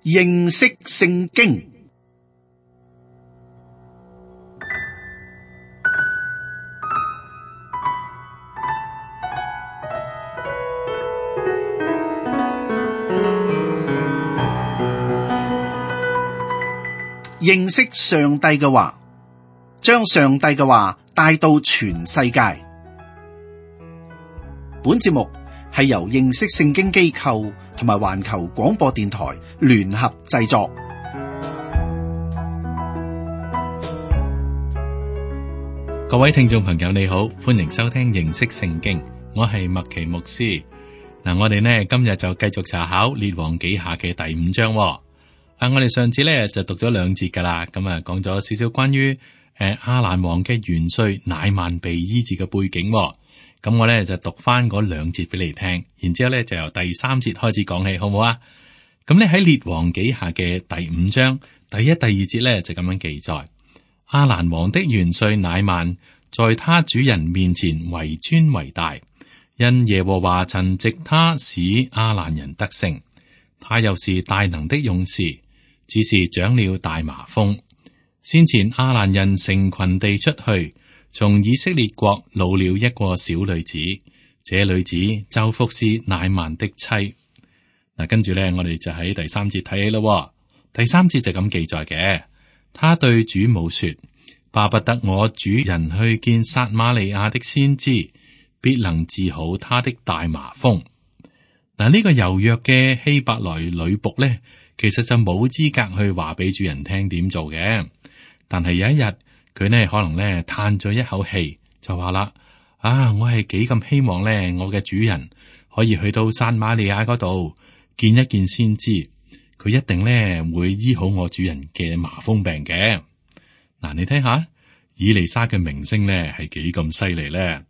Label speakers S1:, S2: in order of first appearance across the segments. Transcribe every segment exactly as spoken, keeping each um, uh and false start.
S1: 認識聖經。認識上帝嘅話，將上帝嘅話帶到全世界。本節目係由認識聖經機構同埋環球廣播電台聯合製作。
S2: 各位聽眾朋友你好，歡迎收聽認識聖經，我係麥奇牧師。嗱，我哋呢今日就繼續查考列王紀下嘅第五章。啊，我哋上次咧就讀咗兩節噶啦，咁啊講咗少少關於誒亞蘭王嘅元帥乃縵被醫治嘅背景。咁我咧就讀翻嗰兩節俾你聽，然之後咧就由第三節開始講起，好唔好啊？咁咧喺列王紀下嘅第五章第一、第二節咧就咁樣記載：亞蘭王的元帥乃縵在他主人面前為尊為大，因耶和華曾藉他使亞蘭人得勝，他又是大能的勇士。只是長了大麻風。先前亞蘭人成群地出去，從以色列國擄了一個小女子，這女子就服侍乃縵的妻。嗱，跟住咧，我哋就喺第三節睇起咯。第三節就咁記載嘅，他對主母說：巴不得我主人去見撒瑪利亞的先知，必能治好他的大麻風。嗱，呢個柔弱嘅希伯來女僕咧，其實就冇資格去話俾主人聽點做嘅，但係有一日佢呢可能呢嘆咗一口氣，就話啦：啊，我係幾咁希望呢，我嘅主人可以去到撒瑪利亞嗰度見一見先知，佢一定呢會醫好我主人嘅麻風病嘅。嗱，你睇下以利沙嘅名聲呢係幾咁犀利呢？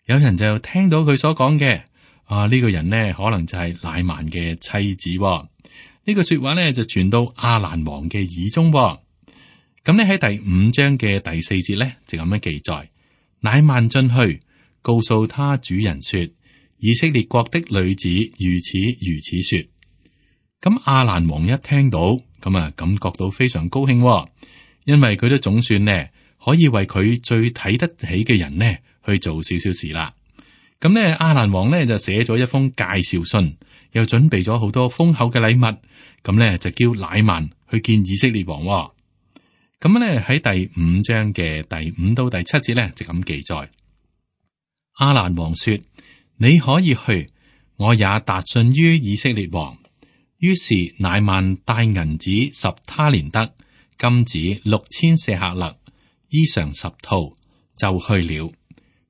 S2: 有人就聽到佢所講嘅，啊，呢個人呢可能就係乃縵嘅妻子喎。呢個說話咧就傳到亞蘭王嘅耳中，咁咧喺第五章嘅第四節咧就咁樣記載：乃縵進去，告訴他主人說，以色列國的女子如此如此說。咁亞蘭王一聽到，咁啊感覺到非常高興，因為佢都總算呢可以為佢最睇得起嘅人呢去做少少事啦。咁咧亞蘭王呢就寫咗一封介紹信，又準備咗好多豐厚嘅禮物。咁咧就叫乃縵去見以色列王。咁咧喺第五章嘅第五到第七節咧就咁記載：亞蘭王說，你可以去，我也達信於以色列王。於是乃縵帶銀子十他連得，金子六千舍客勒，衣裳十套，就去了。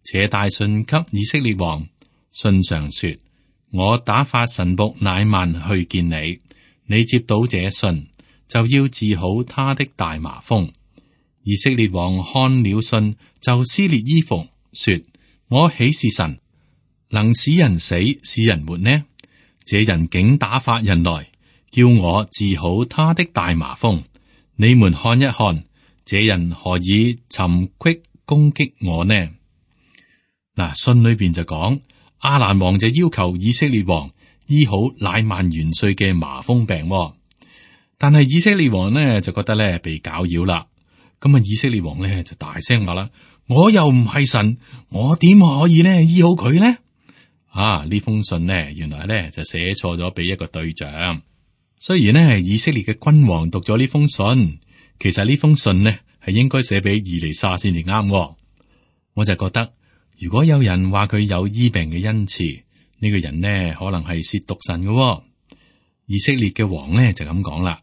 S2: 且帶信給以色列王，信上說，我打發臣僕乃縵去見你。你接到這信，就要治好他的大麻風。以色列王看了信，就撕裂衣服，說：我豈是神，能使人死，使人活呢？這人竟打發人來，叫我治好他的大麻風。你們看一看，這人何以尋隙攻擊我呢？嗱，信裏邊就講，亞蘭王就要求以色列王醫好乃縵元帥嘅麻風病，但係以色列王呢就覺得咧被攪擾啦。咁啊，以色列王咧就大聲話啦：我又唔係神，我點可以呢醫好佢呢？啊，呢封信呢原來咧就寫錯咗俾一個對象。雖然呢係以色列嘅君王讀咗呢封信，其實呢封信呢係應該寫俾以利沙先至啱。我就覺得，如果有人話佢有醫病嘅恩賜，呢個人呢可能係褻瀆神嘅。哦，以色列嘅王呢就咁講啦，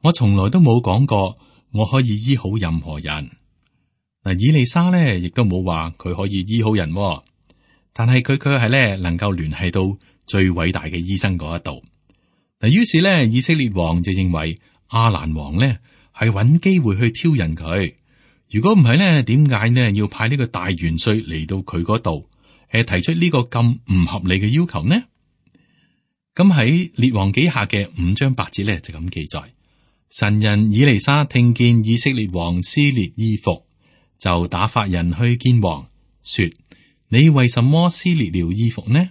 S2: 我從來都冇講過我可以醫好任何人。嗱，以利沙呢亦都冇話佢可以醫好人。哦，但係佢卻係咧能夠聯繫到最偉大嘅醫生嗰一度。嗱，於是呢，以色列王就認為亞蘭王呢係揾機會去挑釁佢。如果唔係呢，點解呢要派呢個大元帥嚟到佢嗰度？誒，提出呢個咁唔合理嘅要求呢？咁喺列王紀下嘅五章八節咧就咁記載：神人以利沙聽見以色列王撕裂衣服，就打發人去見王，說：你為什麼撕裂了衣服呢？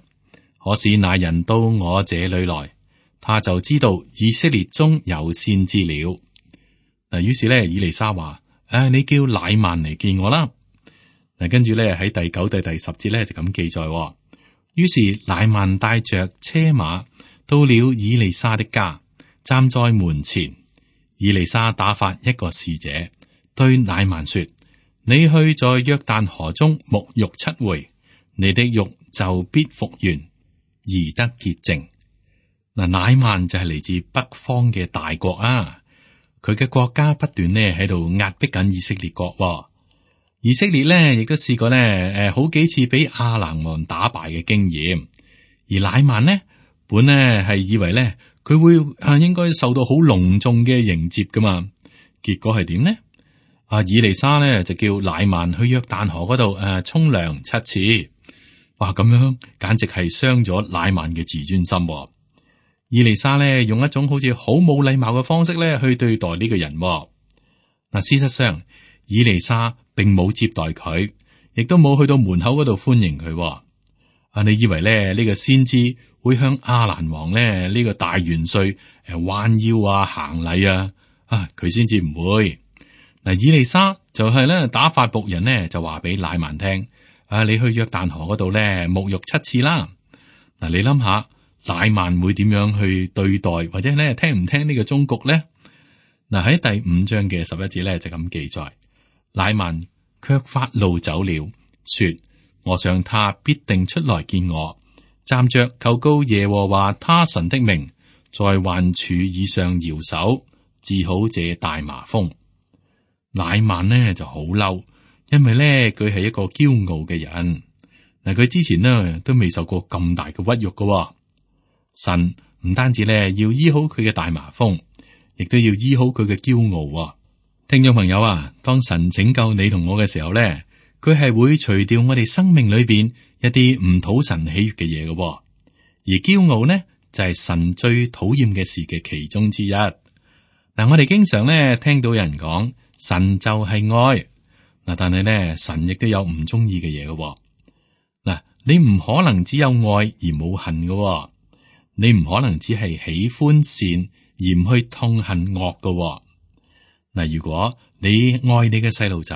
S2: 可使那人到我這裏來，他就知道以色列中有先知了。嗱，於是咧，以利沙話：誒、啊，你叫乃曼嚟見我啦。嗱，跟住咧喺第九到第十節咧就咁記載。於是乃曼帶着車馬到了以利沙的家，站在門前。以利沙打發一個使者對乃曼說：你去在約旦河中沐浴七回，你的肉就必復原，而得潔淨。嗱，乃曼就係嚟自北方嘅大國啊，佢嘅國家不斷呢喺度壓迫緊以色列國，哦。以色列呢亦都試過呢誒好幾次俾亞蘭王打敗嘅經驗，而乃曼呢本呢係以為呢佢會啊應該受到好隆重嘅迎接噶嘛，結果係點呢？啊，以利沙呢就叫乃曼去約旦河嗰度誒沖涼七次，哇，咁樣簡直係傷咗乃曼嘅自尊心，哦。以利沙呢用一種好似好冇禮貌嘅方式咧去對待呢個人，哦。嗱，事實上以利沙並冇接待佢，亦都冇去到門口嗰度歡迎佢，哦。啊，你以為咧呢，呢個先知會向亞蘭王咧呢，呢個大元帥誒彎腰啊行禮啊？啊，佢先至唔會。嗱，以利沙就係咧打發僕人呢，就話俾乃曼聽：啊，你去約旦河嗰度咧沐浴七次啦。嗱，你諗下乃曼會點樣去對待，或者咧聽唔聽呢個忠告咧？嗱，喺第五章嘅十一節咧就咁記載，乃曼卻發怒走了，說：我想他必定出來見我，站着求告耶和華他神的名，在患處以上搖手，治好這大麻風。乃曼呢就好嬲，因為咧佢係一個驕傲嘅人。嗱，佢之前呢都未受過咁大嘅屈辱噶。神唔單止咧要醫好佢嘅大麻風，亦都要醫好佢嘅驕傲。聽眾朋友啊，當神拯救你同我嘅時候咧，佢係會除掉我哋生命裏邊一啲唔討神喜悅嘅嘢嘅。而驕傲呢就係神最討厭嘅事嘅其中之一。嗱，我哋經常咧聽到有人講神就係愛，嗱，但係咧神亦都有唔中意嘅嘢嘅。嗱，你唔可能只有愛而冇恨嘅，你唔可能只係喜歡善而唔去痛恨惡嘅。嗱，如果你愛你嘅細路仔，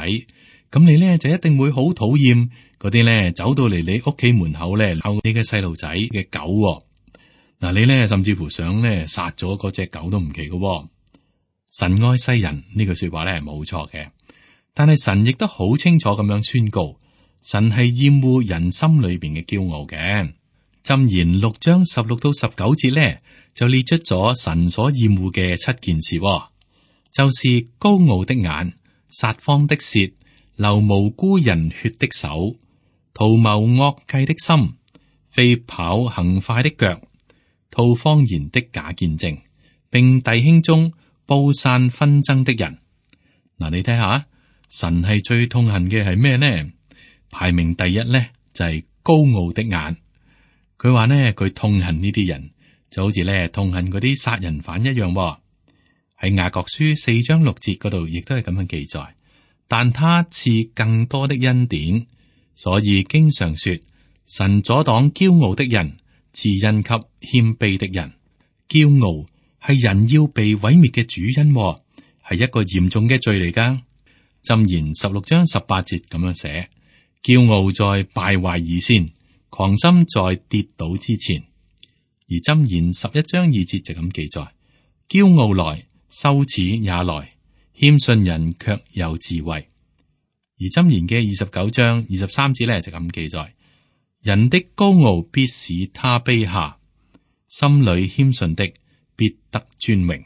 S2: 咁你咧就一定會好討厭嗰啲咧走到嚟你屋企門口咧鬧你嘅細路仔嘅狗。嗱，你咧甚至乎想咧殺咗嗰隻狗都唔奇嘅。神愛世人呢句說話咧係冇錯嘅，但係神亦都好清楚咁樣宣告，神係厭惡人心裏邊嘅驕傲嘅。箴言六章十六到十九節咧就列出咗神所厭惡嘅七件事，就是高傲的眼、撒謊的舌、流無辜人血的手、圖謀惡計的心、飛跑行快的腳、吐謊言的假見證，並弟兄中布散紛爭的人。嗱，你睇下，神係最痛恨嘅係咩呢？排名第一咧就係高傲的眼。佢話呢，佢痛恨呢啲人，就好似咧痛恨嗰啲殺人犯一樣。喺雅各書四章六節嗰度，亦都係咁樣記載。但他賜更多的恩典，所以經常說，神阻擋驕傲的人，賜恩給謙卑的人。驕傲係人要被毀滅嘅主因，係一個嚴重嘅罪嚟噶。箴言十六章十八節咁樣寫：驕傲在敗壞以先，狂心在跌倒之前。而箴言十一章二節就咁記載：驕傲來，羞恥也來，謙遜人卻有智慧。而箴言嘅二十九章二十三節咧就咁記載：人的高傲必使他卑下，心裏謙遜的必得尊榮。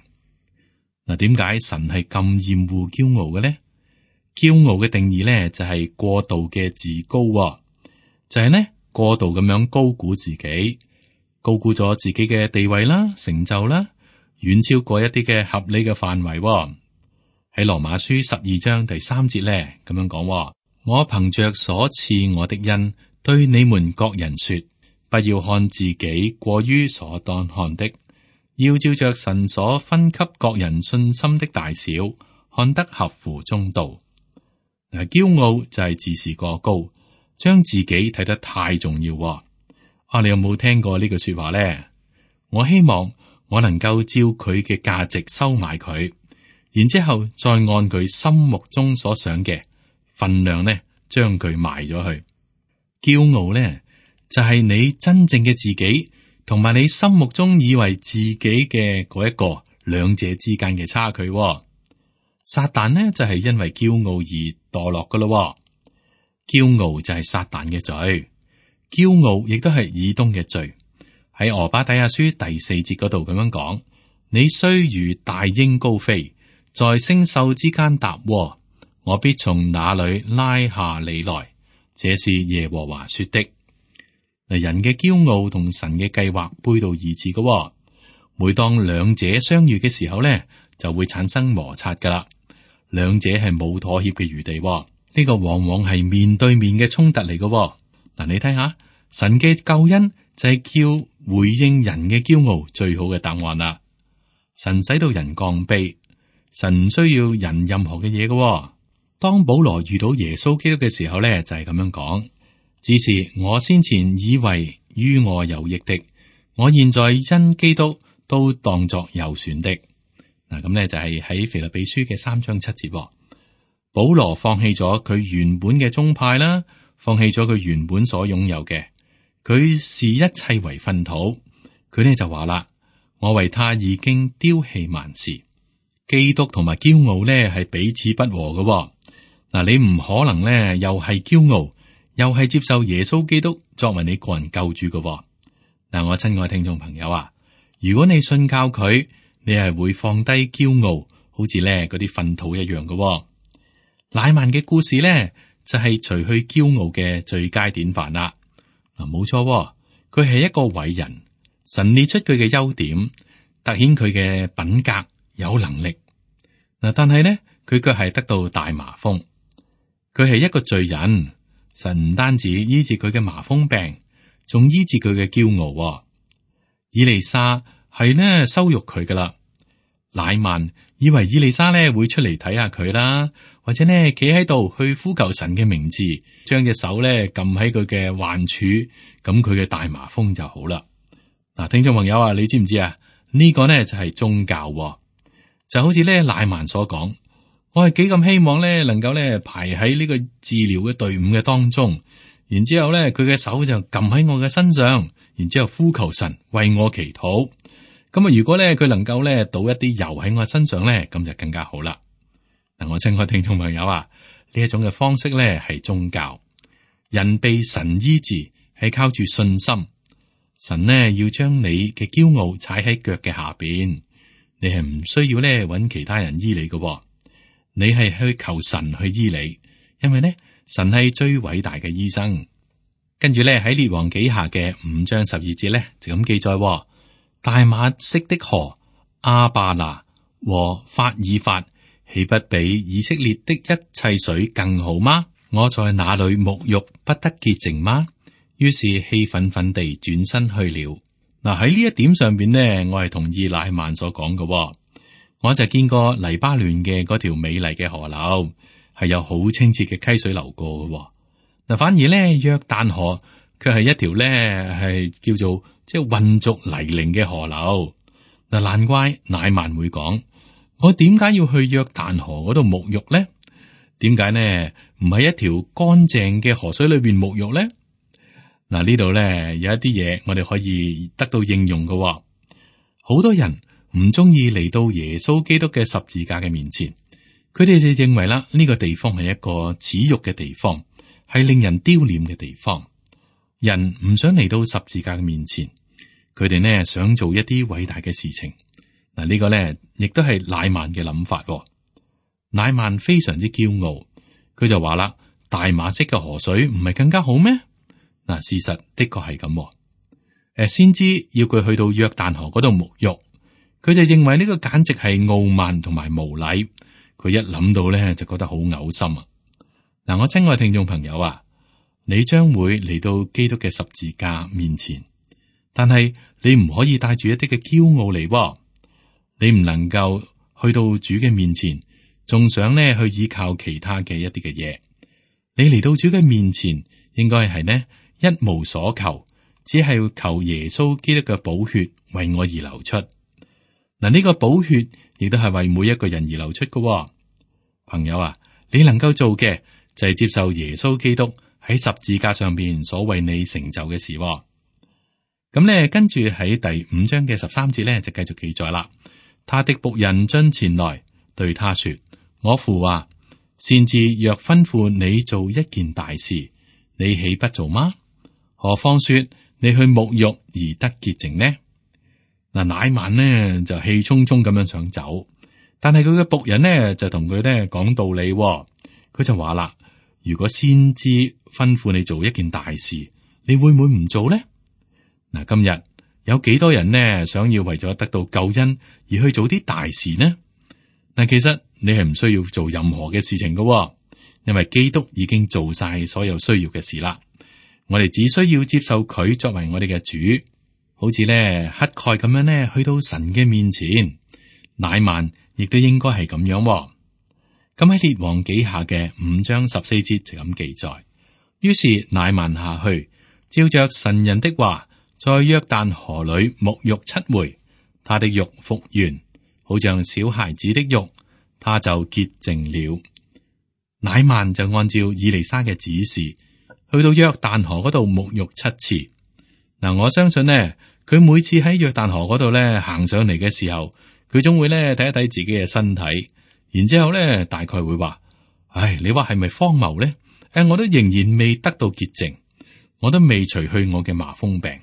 S2: 嗱，點解神係咁厭惡驕傲嘅呢？驕傲嘅定義咧就係過度嘅自高，就係呢過度咁樣高估自己，高估咗自己嘅地位啦、成就啦，遠超過一啲嘅合理嘅範圍。喺羅馬書十二章第三節咧咁樣講：我憑着所賜我的恩，對你們各人說，不要看自己過於所當看的，要照着神所分給各人信心的大小，看得合乎中道。嗱，驕傲就係自視過高，將自己睇得太重要。啊，你有冇聽過呢句說話咧？我希望我能夠照佢嘅價值收買佢，然之後再按佢心目中所想嘅份量呢，將佢賣咗去。驕傲呢，就係你真正嘅自己，同埋你心目中以為自己嘅嗰一個兩者之間嘅差距。撒旦呢，就係因為驕傲而墮落噶咯。驕傲就係撒旦嘅罪，驕傲亦都係以東嘅罪。喺俄巴底亞書第四節嗰度咁樣講：你雖如大鷹高飛，在星宿之間搭窩，我必從那裏拉下你來。這是耶和華說的。嗱，人嘅驕傲同神嘅計劃背道而馳嘅。每當兩者相遇嘅時候咧，就會產生摩擦噶啦。兩者係冇妥協嘅餘地。呢個往往係面對面嘅衝突嚟嘅。嗱，你睇下，神嘅救恩就係叫回應人嘅驕傲最好嘅答案啦。神使到人降卑，神唔需要人任何嘅嘢嘅。當保羅遇到耶穌基督嘅時候咧，就係咁樣講：只是我先前以為於我有益的，我現在因基督都當作有損的。嗱，咁咧就係喺腓立比書嘅三章七節。保羅放棄咗佢原本嘅宗派啦，放棄咗佢原本所擁有嘅，佢視一切為糞土。佢呢就話啦：我為他已經丟棄萬事。基督同埋驕傲呢係彼此不和嘅。嗱，你唔可能呢又係驕傲，又係接受耶穌基督作為你個人救主嘅。嗱，我親愛聽眾朋友啊，如果你信靠佢，你係會放低驕傲，好似呢嗰啲糞土一樣嘅。乃縵嘅故事呢，就係除去驕傲嘅最佳典範啦。嗱，冇錯，佢係一個偉人，神列出佢嘅優點，凸顯佢嘅品格有能力。嗱，但係呢，佢卻係得到大麻風。佢係一個罪人，神唔單止醫治佢嘅麻風病，仲醫治佢嘅驕傲。以利沙係呢羞辱佢噶啦，乃縵以為以利沙呢會出嚟睇下佢啦。或者呢，企喺度去呼求神嘅名字，將隻手咧撳喺佢嘅患處，咁佢嘅大麻風就好啦。嗱，聽眾朋友啊，你知唔知啊？呢個呢就係宗教，就好似咧乃縵所講，我係幾咁希望咧能夠咧排喺呢個治療嘅隊伍嘅當中，然之後咧佢嘅手就撳喺我嘅身上，然之後呼求神為我祈禱。咁啊，如果咧佢能夠咧倒一啲油喺我身上咧，咁就更加好啦。嗱，我親愛聽眾朋友啊，呢一種嘅方式咧係宗教，人被神醫治係靠住信心，神呢要將你嘅驕傲踩喺腳嘅下邊，你係唔需要咧揾其他人醫你嘅，你係去求神去醫你，因為呢神係最偉大嘅醫生。跟住咧喺列王紀下嘅五章十二節咧就咁記載：大馬色的河亞巴拿和法爾法，豈不比以色列的一切水更好嗎？我在那裏沐浴不得潔淨嗎？於是氣憤憤地轉身去了。嗱，喺呢一點上邊呢，我係同意乃縵所講嘅。我就見過黎巴嫩嘅嗰條美麗嘅河流，係有好清澈嘅溪水流過嘅。嗱，反而咧約旦河卻係一條咧係叫做即係混濁泥濘嘅河流。嗱，難怪乃縵會講。我點解要去約旦河嗰度沐浴呢？點解呢？唔係一條乾淨嘅河水裏邊沐浴呢？嗱，呢度咧有一啲嘢我哋可以得到應用嘅。好多人唔中意嚟到耶穌基督嘅十字架嘅面前，佢哋就認為啦，呢個地方係一個恥辱嘅地方，係令人丟臉嘅地方。人唔想嚟到十字架嘅面前，佢哋呢想做一啲偉大嘅事情。嗱，呢個咧，亦都係乃縵嘅諗法。乃縵非常之驕傲，佢就話啦：大馬色嘅河水唔係更加好咩？嗱，事實的確係咁。誒，先知要佢去到約旦河嗰度沐浴，佢就認為呢個簡直係傲慢同埋無禮。佢一諗到咧，就覺得好嘔心啊！嗱，我親愛聽眾朋友啊，你將會嚟到基督嘅十字架面前，但係你唔可以帶住一啲嘅驕傲嚟。你唔能夠去到主嘅面前，仲想呢去依靠其他嘅一啲嘅嘢。你嚟到主嘅面前，應該係呢一無所求，只係求耶穌基督嘅寶血為我而流出。嗱，呢個寶血亦都係為每一個人而流出嘅喎。朋友啊，你能夠做嘅就係接受耶穌基督喺十字架上邊所為你成就嘅事喎。咁咧，跟住喺第五章嘅十三節咧，就繼續記載啦。他的僕人進前來對他說：我父啊，先知若吩咐你做一件大事，你豈不做嗎？何況說你去沐浴而得潔淨呢？嗱，乃曼呢就氣沖沖咁樣想走，但係佢嘅僕人呢就同佢咧講道理喎。佢就話啦：如果先知吩咐你做一件大事，你會唔會唔做呢？嗱，今日有幾多人呢想要為咗得到救恩而去做啲大事呢？嗱，其實你係唔需要做任何嘅事情㗎喎，因為基督已經做晒所有需要嘅事啦。我哋只需要接受佢作為我哋嘅主，好似咧乞丐咁樣咧去到神嘅面前。乃曼亦都應該係咁樣喎。咁喺列王紀下嘅五章十四節就咁記載。於是乃曼下去，照着神人的話，在約旦河裏沐浴七回，他的肉復原，好像小孩子的肉，他就潔淨了。乃曼就按照以利沙嘅指示，去到約旦河嗰度沐浴七次。嗱，我相信呢，佢每次喺約旦河嗰度咧行上嚟嘅時候，佢總會咧睇一睇自己嘅身體，然之後咧大概會話：唉，你話係咪荒謬咧？誒，我都仍然未得到潔淨，我都未除去我嘅麻風病。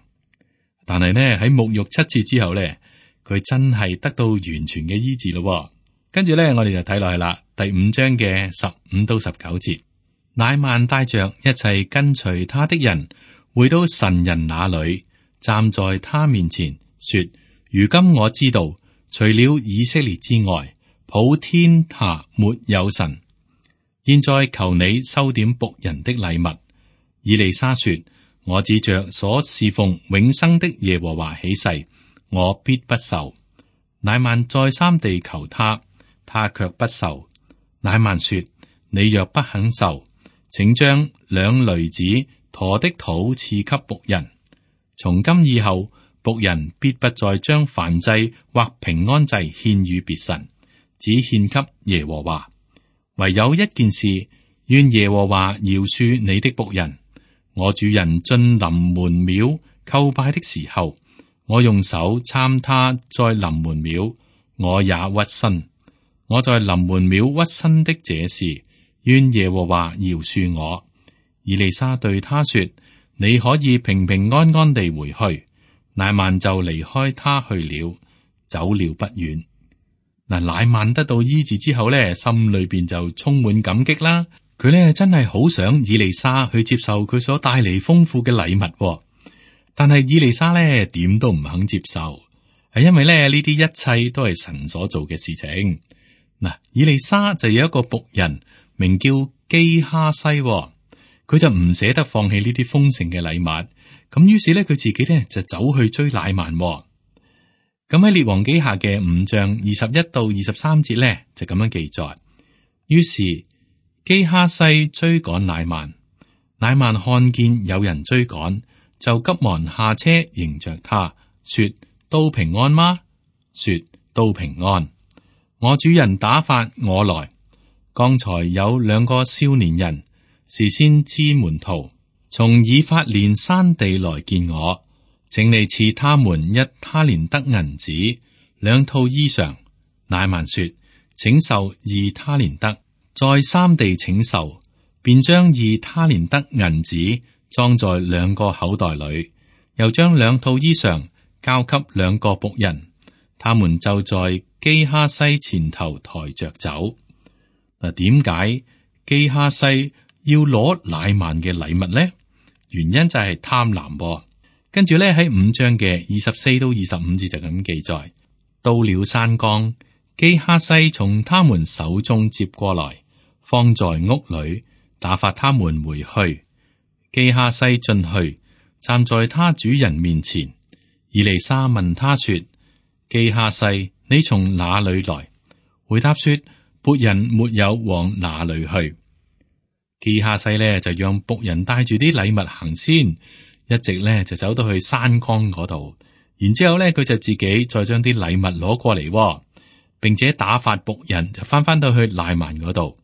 S2: 但係呢，喺沐浴七次之後咧，佢真係得到完全嘅醫治咯。跟住咧，我哋就睇落去啦，第五章嘅十五到十九節。乃曼帶着一切跟隨他的人回到神人那裏，站在他面前說：如今我知道，除了以色列之外，普天下沒有神。現在求你收點僕人的禮物。以利沙說：我指着所侍奉永生的耶和華起誓，我必不受。乃曼再三地求他，他卻不受。乃曼說：你若不肯受，請將兩驢子馱的土賜給僕人。從今以後，僕人必不再將燔祭或平安祭獻與別神，只獻給耶和華。唯有一件事，願耶和華饒恕你的僕人。我主人進臨門廟叩拜的時候，我用手參他在臨門廟，我也屈身。我在臨門廟屈身的這事，願耶和華饒恕我。以利沙對他說：你可以平平安安地回去。乃曼就離開他去了，走了不遠。嗱，乃曼得到醫治之後咧，心裏邊就充滿感激啦。佢咧真係好想以利沙去接受佢所帶嚟豐富嘅禮物，但係以利沙咧點都唔肯接受，係因為咧呢啲一切都係神所做嘅事情。嗱，以利沙就有一個僕人名叫基哈西，佢就唔捨得放棄呢啲豐盛嘅禮物，咁於是咧佢自己咧就走去追乃曼。咁喺列王紀下嘅五章二十一到二十三節咧就咁樣記載。於是基哈西追趕乃曼，乃曼看見有人追趕，就急忙下車迎着他，說：都平安嗎？說：都平安。我主人打發我來，剛才有兩個少年人是先知門徒，從以法蓮山地來見我。請你賜他們一他連得銀子，兩套衣裳。乃曼說：請受二他連得。再三地請受，便將二他連得銀子裝在兩個口袋裏，又將兩套衣裳交給兩個僕人，他們就在基哈西前頭抬着走。嗱，點解基哈西要攞乃曼嘅禮物呢？原因就係貪婪。跟住咧喺五章嘅二十四到二十五節就咁記載。到了山崗，基哈西從他們手中接過來，放在屋裏，打發他們回去。基哈西進去，站在他主人面前。以利沙問他說：基哈西，你從哪裏來？回答說：僕人沒有往哪裏去。基哈西呢就讓僕人帶住啲禮物行先。一直咧就走到去山崗嗰度，然之後咧，佢就自己再將啲禮物攞過嚟，並且打發僕人就翻翻到去乃縵嗰度。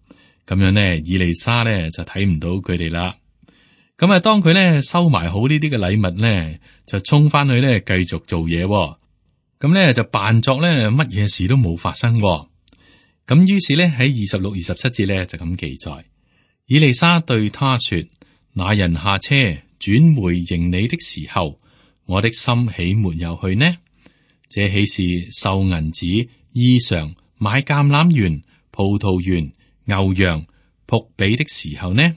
S2: 咁樣呢，以利沙咧就睇唔到佢哋啦。咁啊，當佢咧收埋好呢啲嘅禮物咧，就衝翻去咧繼續做嘢。咁咧就扮作咧乜嘢事都冇發生。咁於是咧喺二十六、二十七節咧就咁記載，以利沙對他說：那人下車轉回迎你的時候，我的心豈沒有去呢？這豈是收銀子、衣裳、買橄欖園、葡萄園、牛羊、僕婢的時候呢？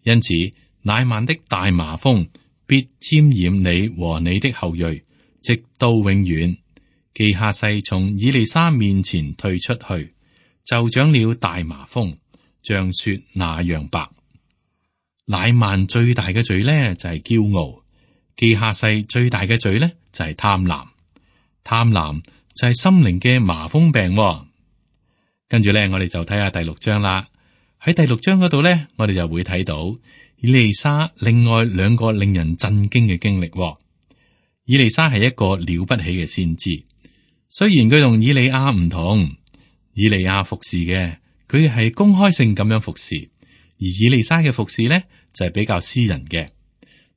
S2: 因此，乃縵的大麻風必沾染你和你的後裔，直到永遠。基哈西從以利沙面前退出去，就長了大麻風，像雪那樣白。乃縵最大嘅罪呢，就係驕傲。基哈西最大嘅罪呢，就係貪婪，貪婪就係心靈嘅麻風病。跟住咧，我哋就睇下第六章啦。喺第六章嗰度咧，我哋就會睇到以利沙另外兩個令人震驚嘅經歷。以利沙係一個了不起嘅先知，雖然佢同以利亞唔同，以利亞服侍嘅佢係公開性咁樣服侍，而以利沙嘅服侍咧就係比較私人嘅。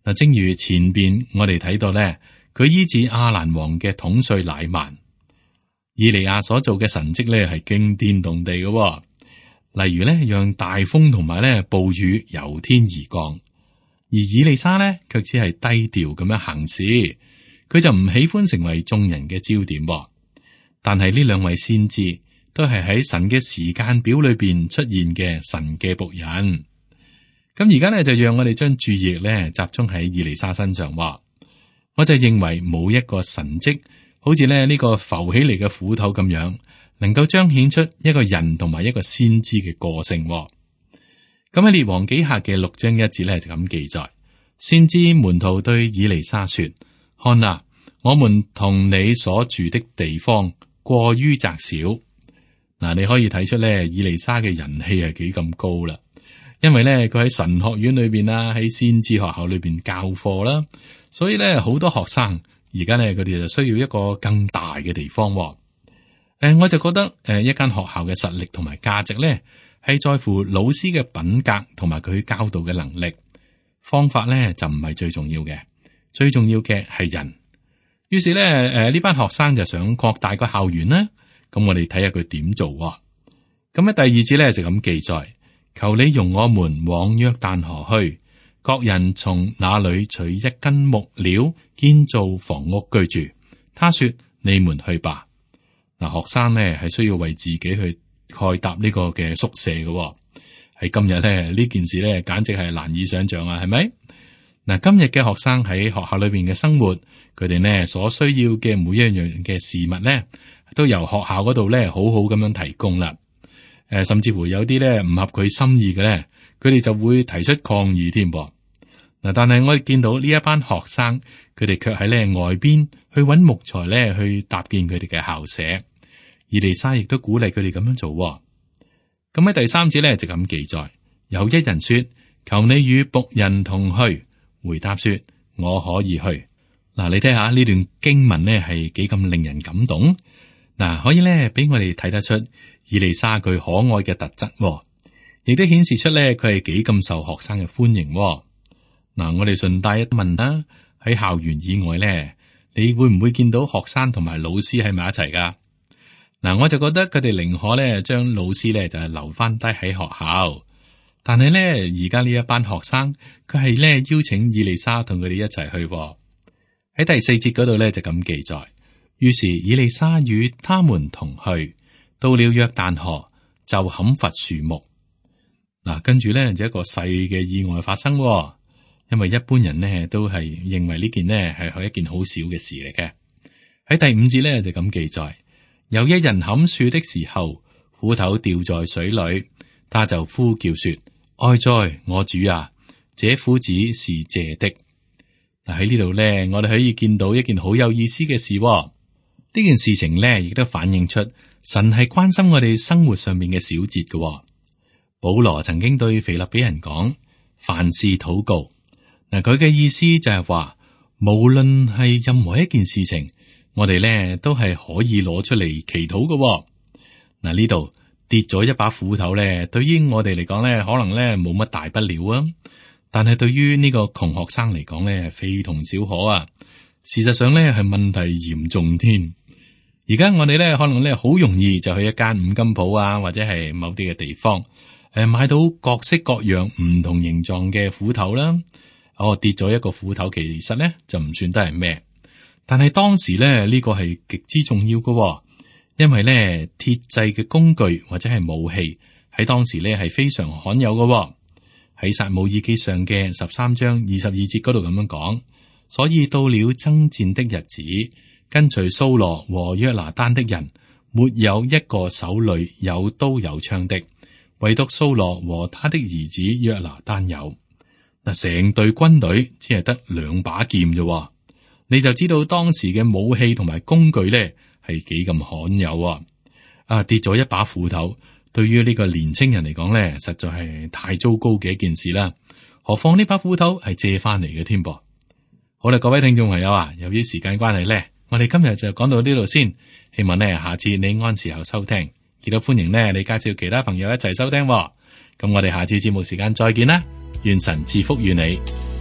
S2: 嗱，正如前邊我哋睇到咧，佢醫治亞蘭王嘅統帥乃縵，以利亞所做嘅神蹟咧係驚天動地嘅，例如咧讓大風同埋咧暴雨由天而降，而以利沙咧卻只係低調咁樣行事，佢就唔喜歡成為眾人嘅焦點。但係呢兩位先知都係喺神嘅時間表裏邊出現嘅神嘅僕人。咁而家咧就讓我哋將注意力咧集中喺以利沙身上。我就認為冇一個神蹟好似咧呢個浮起嚟嘅斧頭咁樣，能夠彰顯出一個人同埋一個先知嘅個性。咁喺列王紀下嘅六章一節咧就咁記載：先知門徒對以利沙說，看哪，我們同你所住的地方過於窄小。嗱，你可以睇出咧以利沙嘅人氣係幾咁高啦。因為咧，佢喺神學院裏邊啊，喺先知學校裏邊教課啦，所以咧好多學生而家咧佢哋就需要一個更大嘅地方。誒、呃，我就覺得誒、呃，一間學校嘅實力同埋價值咧，係在乎老師嘅品格同埋佢教導嘅能力。方法咧就唔係最重要嘅，最重要嘅係人。於是咧，誒、呃、呢班學生就想擴大個校園啦。咁我哋睇下佢點做。咁喺第二節咧就咁記載。求你容我們往約旦河去，各人從那裏取一根木料建造房屋居住。他說：你們去吧。嗱，學生呢係需要為自己去蓋搭呢個嘅宿舍嘅。喺今日咧呢件事咧簡直係難以想象啊，係咪？嗱，今日嘅學生喺學校裏邊嘅生活，佢哋呢所需要嘅每一樣嘅事物咧，都由學校嗰度咧好好咁樣提供啦。誒，甚至乎有啲咧唔合佢心意嘅咧，佢哋就會提出抗議添噃。嗱，但係我哋見到呢一班學生，佢哋卻喺咧外邊去揾木材咧去搭建佢哋嘅校舍。以利沙亦都鼓勵佢哋咁樣做。咁喺第三節咧就咁記載：有一人說，求你與僕人同去。回答說，我可以去。嗱，你睇下呢段經文咧係幾咁令人感動。嗱，可以咧俾我哋睇得出以利沙佢可愛嘅特質，亦都顯示出咧佢係幾咁受學生嘅歡迎。嗱，我哋順帶一問啦，喺校園以外咧，你會唔會見到學生同埋老師喺埋一齊噶？嗱，我就覺得佢哋寧可咧將老師咧就係留翻低喺學校，但係咧而家呢一班學生佢係咧邀請以利沙同佢哋一齊去。喺第四節嗰度咧就咁記載。於是以利沙與他們同去，到了約旦河就砍伐樹木。嗱，跟住咧就一個細嘅意外發生，因為一般人呢都係認為呢件呢係一件好小嘅事嚟嘅。喺第五節咧就咁記載：有一人砍樹的時候，斧頭掉在水裏，他就呼叫說：哀哉，我主啊，這斧子是借的。嗱，喺呢度咧，我哋可以見到一件好有意思嘅事。呢件事情咧，亦都反映出神係關心我哋生活上面嘅小節嘅。保羅曾經對腓立比人講：凡事禱告。嗱，佢嘅意思就係話，無論係任何一件事情，我哋咧都係可以攞出嚟祈禱嘅。嗱，呢度跌咗一把斧頭咧，對於我哋嚟講咧，可能咧冇乜大不了啊。但係對於呢個窮學生嚟講咧，非同小可啊。事實上咧係問題嚴重添。而家我哋咧可能咧好容易就去一間五金鋪啊，或者係某啲嘅地方，誒買到各式各樣唔同形狀嘅斧頭啦。哦，跌咗一個斧頭，其實咧就唔算得係咩。但係當時咧呢個係極之重要嘅，因為咧鐵製嘅工具或者係武器喺當時咧係非常罕有嘅。喺撒母耳記上嘅十三章二十二節嗰度咁樣講，所以到了爭戰的日子，跟隨掃羅和約拿單的人，沒有一個手裏有刀有槍的，唯獨掃羅和他的兒子約拿單有。嗱，成隊軍隊只係得兩把劍啫，你就知道當時嘅武器同埋工具咧係幾咁罕有啊！啊，跌咗一把斧頭，對於呢個年青人嚟講咧，實在係太糟糕嘅一件事啦。何況呢把斧頭係借翻嚟嘅添噃。好啦，各位聽眾朋友啊，由於時間關係咧，我哋今日就講到呢度先。希望呢下次你按時候收聽，亦都歡迎呢你介紹其他朋友一齊收聽。咁我哋下次節目時間再見啦，願神賜福於你。